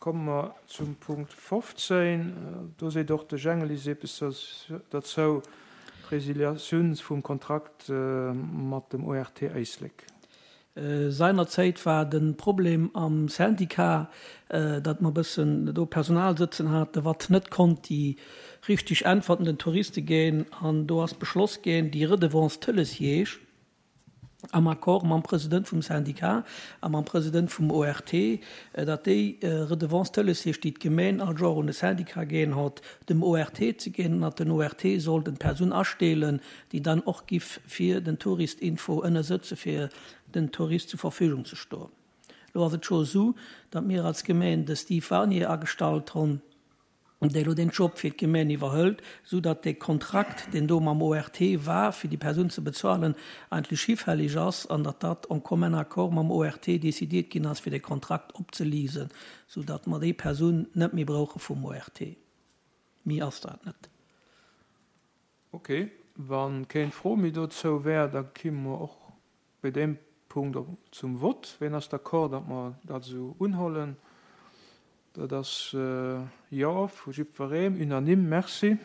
Komme mer zum Punkt 15. Do seet och de Jengeliss eppes derzou, d'Resiliatioun vum Kontrakt mat dem ORT Éislek. Seinerzäit war de Problem am Syndicat, datt mer e bëssen do Personal sëtzen haten, wat net konnt déi richteg Äntwerten den Touriste ginn. An do ass beschloss ginn, déi Redevance Tëlesjeeg am Accord mam President vum Syndicat a mam President vum ORT, datt déi Redevance Tëlesjeeg, déi d'Gemeen all Joer un de Syndicat ginn hott, dem ORT ze ginn, an datt den ORT sollt en Persoun asteelen, déi dann och giff fir den Tourist-Info ënnersëtze fir den Tourist zur Verfügung ze stoen. Lo ass et scho esou, datt mir als Gemeen de Steve Warnier agestallt honn, dee lo deen Job fir d'Gemeen iwwerhëlt, esou datt dee Kontrakt, deen do mam ORT war, fir déi Persoun ze bezuelen, eigentlech hifällig ass an datt dat en commun accord mam ORT décidiert ginn ass, fir dee Kontrakt opzelisen, esou datt mer déi Persoun net méi brauche vum ORT. Méi ass dat net. Ok, wann kéng Fro méi dozou wär, da kimme mer och bei deem Punkt zum Vott. Ween ass d'accord, datt mer dat esou unhollen? Dat ass Jo vu jiddweree, unanime. Merci.